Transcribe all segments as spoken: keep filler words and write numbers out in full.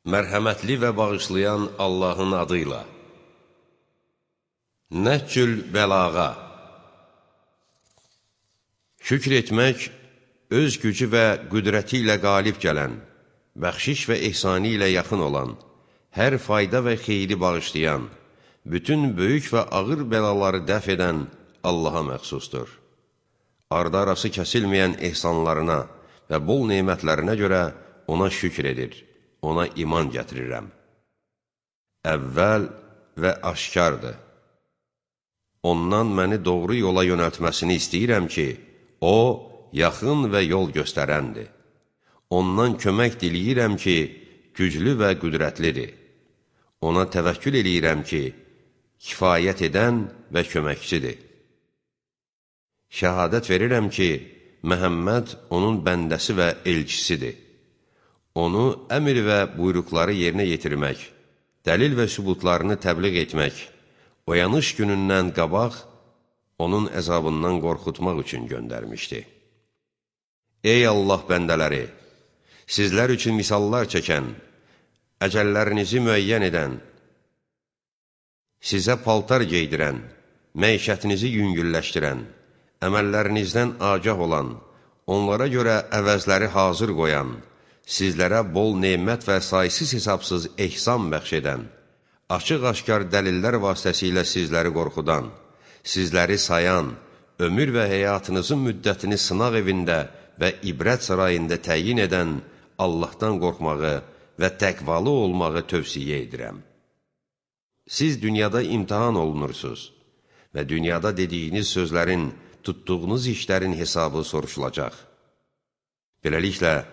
Mərhəmətli və bağışlayan Allahın adıyla. Nəhcül bəlağa. Şükr etmək, öz gücü və qüdrəti ilə qalib gələn, bəxşiş və ehsani ilə yaxın olan, hər fayda və xeyri bağışlayan, bütün böyük və ağır bəlaları dəf edən Allaha məxsusdur. Arda arası kəsilməyən ehsanlarına və bol neymətlərinə görə ona şükr edir. Ona iman gətirirəm. Əvvəl və aşkardır. Ondan məni doğru yola yönəltməsini istəyirəm ki, o, yaxın və yol göstərəndir. Ondan kömək diləyirəm ki, güclü və qüdrətlidir. Ona təvəkkül eləyirəm ki, kifayət edən və köməkçidir. Şəhadət verirəm ki, Məhəmməd onun bəndəsi və elçisidir. Onu əmr və buyruqları yerinə yetirmək, dəlil və sübutlarını təbliğ etmək, oyanış günündən qabaq onun əzabından qorxutmaq üçün göndərmişdi. Ey Allah bəndələri! Sizlər üçün misallar çəkən, əcəllərinizi müəyyən edən, sizə paltar geydirən, məişətinizi yüngülləşdirən, əməllərinizdən agah olan, onlara görə əvəzləri hazır qoyan, sizlərə bol neymət və saysız hesabsız ehsan bəxş edən, açıq-aşkar dəlillər vasitəsilə sizləri qorxudan, sizləri sayan, ömür və həyatınızın müddətini sınaq evində və ibrət sarayında təyin edən Allahdan qorxmağı və təqvalı olmağı tövsiyə edirəm. Siz dünyada imtihan olunursunuz və dünyada dediyiniz sözlərin, tutduğunuz işlərin hesabı soruşulacaq. Beləliklə,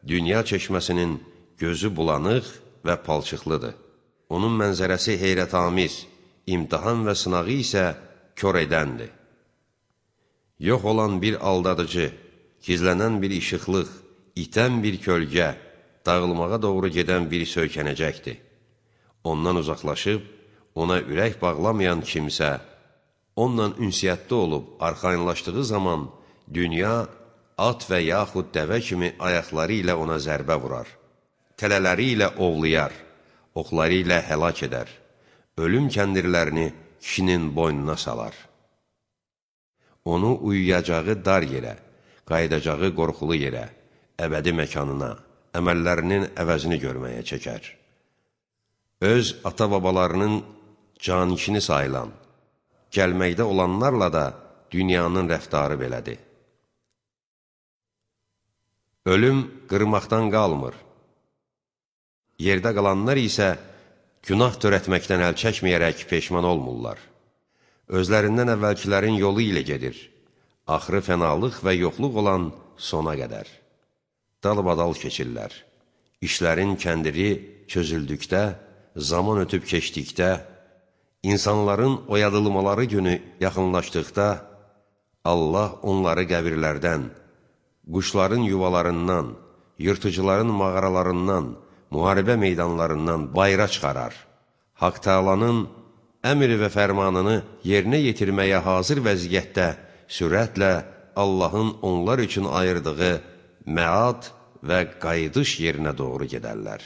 dünya çeşməsinin gözü bulanıq və palçıqlıdır. Onun mənzərəsi heyrətamiz, imtihan və sınağı isə kör edəndir. Yox olan bir aldadıcı, gizlənən bir işıqlıq, itən bir kölgə, dağılmağa doğru gedən bir söykənəcəkdir. Ondan uzaqlaşıb, ona ürək bağlamayan kimsə, onunla ünsiyyətdə olub arxayınlaşdığı zaman dünya, at və yaxud dəvə kimi ayaqları ilə ona zərbə vurar, tələləri ilə ovlayar, oxları ilə həlak edər, ölüm kəndirlərini kişinin boynuna salar. Onu uyuyacağı dar yerə, qayıdacağı qorxulu yerə, əbədi məkanına, əməllərinin əvəzini görməyə çəkər. Öz ata-babalarının canikini sayılan, gəlməkdə olanlarla da dünyanın rəftarı belədir. Ölüm qırmaqdan qalmır. Yerdə qalanlar isə günah törətməkdən əl çəkməyərək peşman olmurlar. Özlərindən əvvəlkilərin yolu ilə gedir. Axırı fənalıq və yoxluq olan sona qədər. Dalbadal keçirlər. İşlərin kəndiri çözüldükdə, zaman ötüb keçdikdə, insanların oyadılmaları günü yaxınlaşdıqda, Allah onları qəbirlərdən, quşların yuvalarından, yırtıcıların mağaralarından, müharibə meydanlarından bayra çıxarar. Haqq Təalanın əmr və fərmanını yerinə yetirməyə hazır vəziyyətdə sürətlə Allahın onlar üçün ayırdığı məad və qayıdış yerinə doğru gedərlər.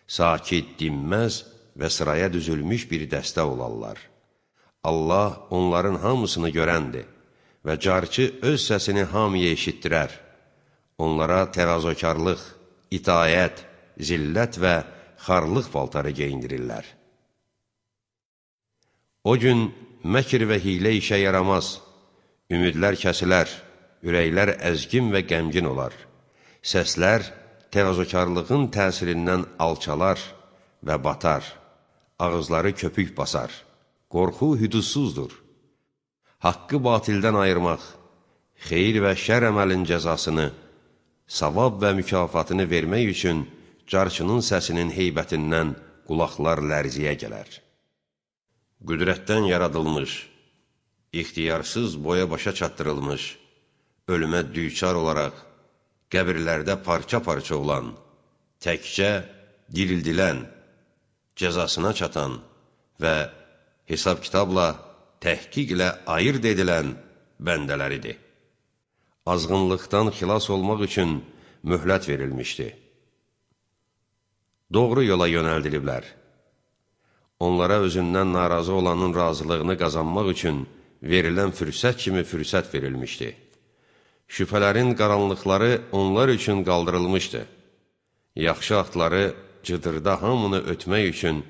Sakit, dinməz və sıraya düzülmüş bir dəstə olarlar. Allah onların hamısını görəndir və carçı öz səsini hamıya eşitdirər. Onlara təvazökarlıq, itayət, zillət və xarlıq paltarı geyindirirlər. O gün məkr və hilə işə yaramaz, ümidlər kəsilər, ürəklər əzgin və qəmgin olar. Səslər təvazökarlığın təsirindən alçalar və batar, ağızları köpük basar. Qorxu hüdudsuzdur. Haqqı batildən ayırmaq, xeyir və şər əməlin cəzasını, savab və mükafatını vermək üçün carçının səsinin heybətindən qulaqlar lərziyə gələr. Qüdrətdən yaradılmış, ixtiyarsız boya başa çatdırılmış, ölümə düçar olaraq, qəbirlərdə parça-parça olan, təkcə dirildilən, cəzasına çatan və hesab kitabla, təhqiqlə ayırt edilən bəndələridir. Azğınlıqdan xilas olmaq üçün möhlət verilmişdi. doğru yola yönəldiliblər. Onlara özündən narazı olanın razılığını qazanmaq üçün verilən fürsət kimi fürsət verilmişdi. Şübhələrin qaranlıqları onlar üçün qaldırılmışdı. Yaxşı atları cıdırda hamını ötmək üçün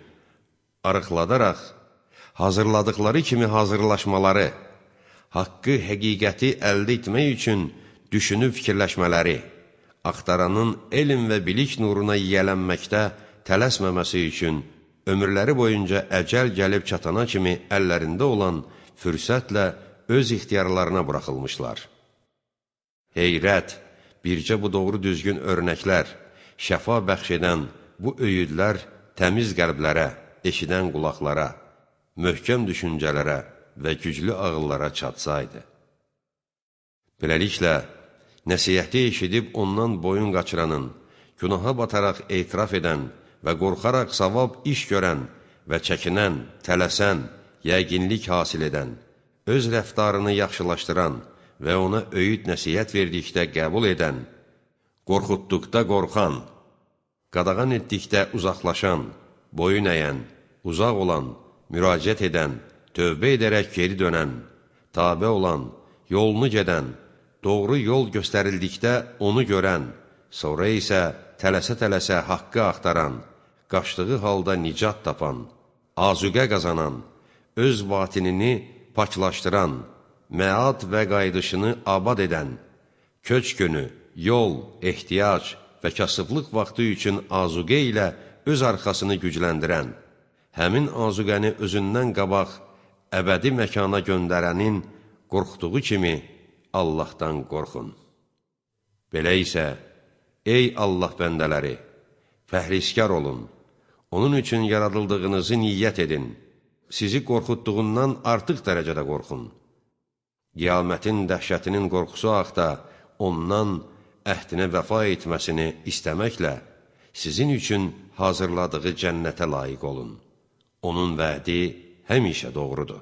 arıqladaraq, hazırladıkları kimi hazırlaşmaları, haqqı, həqiqəti əldə etmək üçün düşünüb fikirləşmələri, axtaranın elm və bilik nuruna yiyələnməkdə tələsməməsi üçün ömürləri boyunca əcəl gəlib çatana kimi əllərində olan fürsətlə öz ixtiyarlarına buraxılmışlar. Heyrət, bircə bu doğru düzgün örnəklər, şəfa bəxş edən bu öyüdlər təmiz qəlblərə, eşidən qulaqlara, möhkəm düşüncələrə və güclü ağıllara çatsaydı. Beləliklə, nəsihəti eşidib ondan boyun qaçıranın, günaha bataraq etiraf edən və qorxaraq savab iş görən və çəkinən, tələsən, yəqinlik hasil edən, öz rəftarını yaxşılaşdıran və ona öyüd nəsihət verdikdə qəbul edən, qorxutduqda qorxan, qadağan etdikdə uzaqlaşan, boyun əyən, uzaq olan, müraciət edən, tövbə edərək geri dönən, tabe olan, yolunu gedən, doğru yol göstərildikdə onu görən, sonra isə tələsə-tələsə haqqı axtaran, qaçdığı halda nicat tapan, azuqə qazanan, öz batinini paklaşdıran, məad və qaydışını abad edən, köç günü, yol, ehtiyac və kasıblıq vaxtı üçün azuqə ilə öz arxasını gücləndirən, həmin azuqəni özündən qabaq əbədi məkana göndərənin qorxduğu kimi Allahdan qorxun. Belə isə, ey Allah bəndələri, fəhriskar olun, onun üçün yaradıldığınızı niyyət edin, sizi qorxutduğundan artıq dərəcədə qorxun. Qiyamətin dəhşətinin qorxusu haqda ondan əhdinə vəfa etməsini istəməklə sizin üçün hazırladığı cənnətə layiq olun. Onun vədi həmişə doğrudur.